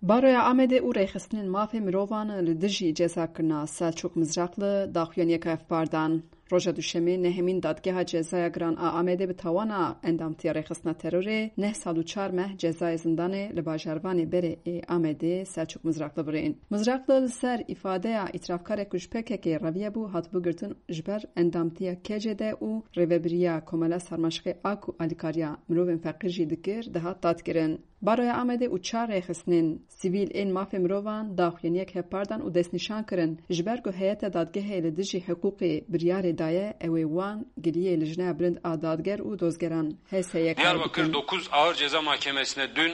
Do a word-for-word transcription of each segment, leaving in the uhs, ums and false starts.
Baroya Amedê û rêxistinên mafê mirovan li dijî cezakirina Selçûk Mizraqli daxuyaniyeke hevpar dan. Roja Duşemê nehemîn Dadgeha Cezaya Giran a Amedê bi tawana endamtiya rêxistina terorê neh sal û çar meh cezayê zindanê li bajarvanê berê ê Amedê Selçûk Mizraqli birîn. Mizraqli li ser îfadeya îtirafkarek ku ji P K K reviyebû hatibû girtin, ji ber endamtiya K C D û rêvebiriya Komela Sarmaşiqê a ku alîkariya mirovên feqîr jî dikir, dihat dadkirin. Baroya Amedê û çar rêxistinên sivîl ên mafê mirovan daxuyaniyek hevpar dan û destnîşan kirin, ji ber ku heyeta dadgehê li dijî hiqûqê biryarê daye, ew ê wan giliyê Lijneya Bilind a Dadger û dozgeran H S Y K Diyarbakır bikin. Dokuz Ağır Ceza Mahkemesi'ne dün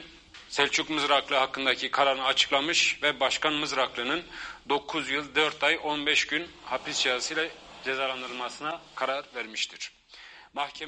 Selçuk Mızraklı hakkındaki kararını açıklamış ve Başkan Mızraklı'nın dokuz yıl dört ay on beş gün hapis cezasıyla cezalandırılmasına karar vermiştir.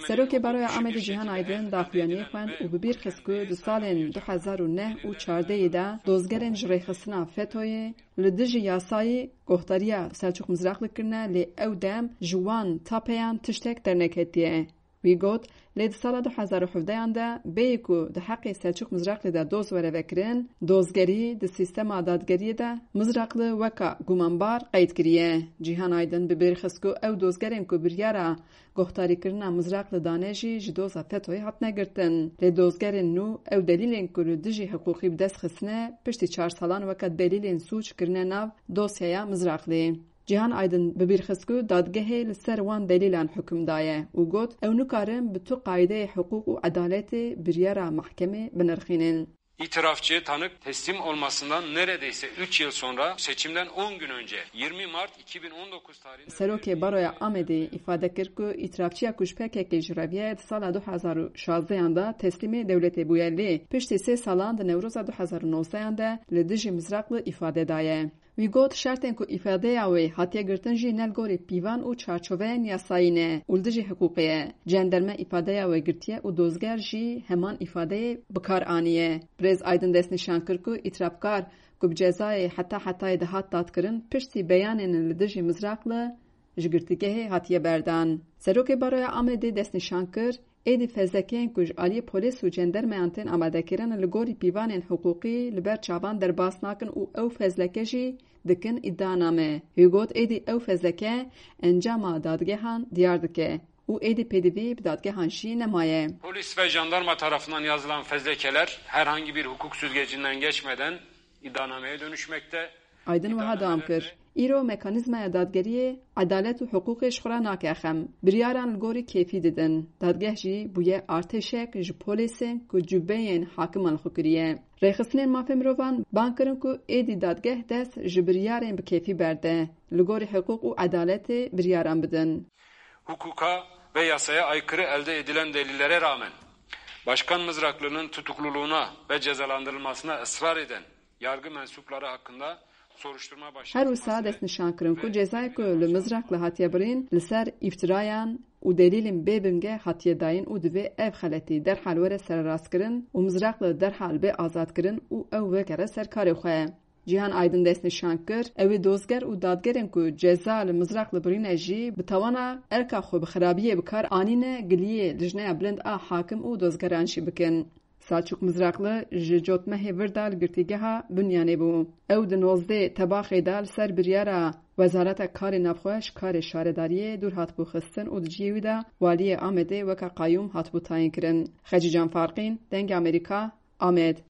Serokê Baroya Amedê Cîhan Aydin daxuyaniyê xwend û bi bîr xist ku di salên du hezar û neh û çardehê de dozgerên ji rêxistina fetoyê li dijî yasayê guhdariya Selçûk Mizraqli kirine, lê ew dem ji wan tapeyan tiştek derneketiye. Wî got, lê di sala du hezar û hevdeyan de bêyî ku di heqê Selçûk Mizraqlî de doz were vekirin, dozgerî di sîstema dadgeriyê de Mizraqli weka gumanbar qeyd kiriye. Cîhan Aydin bi bîr xist ku ew dozgerên ku biryara guhdarîkirina Mizraqli dane jî ji doza fetoyê hatine girtin. Lê dozgerên nû ew delîlên ku li dijî hiqûqî bi dest xistine, piştî çar salan weke delîlên sûc kirine nav dosyaya Mizraqlî. Cîhan Aydin bi bîr xist ku dadgehê li ser wan delîlan hukum daye û got, ew nikarin bi tu qaydeyê hiqûq û edaletê biryara mehkemê binirxînin. İtirafçı tanık teslim olmasından neredeyse üç yıl sonra seçimden on gün önce yirmi Mart iki bin on dokuz tarihinde Serokê Baroya Amedê îfade kir ku îtirafçiya ku ji P K K jî reviye di sala du hezar û şazdehan de teslîmê dewletê bûye, lê piştî sê salan di Newroza du hezar û nozdehan de li dijî Mizraqli îfade daye. Wî got, şertên ku îfadeya wê hatiye girtin jî ne li gorî pîvan û çarçoveyên yasayî ne û li dijî hiqûqê ye. Cenderme îfadeya wê girtiye û dozger jî heman îfadeyê bi kar aniye. Birêz Aydin destnîşan kir ku îtirafkar ku bi cezayê heta hetayê dihat dadkirin, piştî beyanên li dijî Mizraqli ji girtîgehê hatiye berdan. Serokê Baroya Amedê destnîşan kir, êdî fezlekeyên ku ji aliyê polîs û cendermeyan tên amadekirin li gorî pîvanên hiqûqî li ber çavan derbas nakin û ew fezleke jî dikin îdianame. Wî got, êdî ew fezleke encama dadgehan diyar dike û êdî pêdivî bi dadgehan jî nemaye. Polis ve jandarma tarafından yazılan fezlekeler herhangi bir hukuk süzgecinden geçmeden iddianameye dönüşmekte. Aydin wiha dewam kir, îro mekanîzmaya dadgeriyê edalet û hiqûqê ji xwe re nake xem. Biryaran li gorî kêfî didin. Dadgeh jî bûye artêşek ji polêsên ku cubeyên hakiman li xwe kiriye. Rêxistinên mafê mirovan bang kirin ku êdî dadgeh dest ji biryarên bi kêfî berde, li gorî hiqûq û edaletê biryaran bidin. Hukuka ve yasaya aykırı elde edilen delillere rağmen Başkan Mızraklı'nın tutukluluğuna ve cezalandırılmasına ısrar eden yargı mensupları hakkında soruşturma başlatılması Her wisa destnîşan kirin ku cezayê ku li Mizraqli hatiye birîn li ser îftirayan û delîlên bê binge hatiye dayîn û divê ev xeletî derhal were sererastkirin û Mizraqli derhal bê azadkirin û ew vegere ser karê xwe. Cîhan Aydin destnîşan kir, ew ê dozger û dadgerên ku ceza li Mizraqli birîne jî bi tawana erka xwe bi xirabiyê bi kar anîne giliyê Lijneya Bilind a Hakim û dozgeran jî bikin. Selçûk Mizraqli ji cotmehê vir de li girtîgeha Binyanê bû. Ew di nozdeh Tebaxê de li ser biryara Wezareta Karê Navxweş karê şaredariyê dûr hatibû xistin û di cihê wî de waliyê Amedê weke qayûm hatibû tayînkirin. Xecîcan Farqîn, Dengê Amerîka, Amed.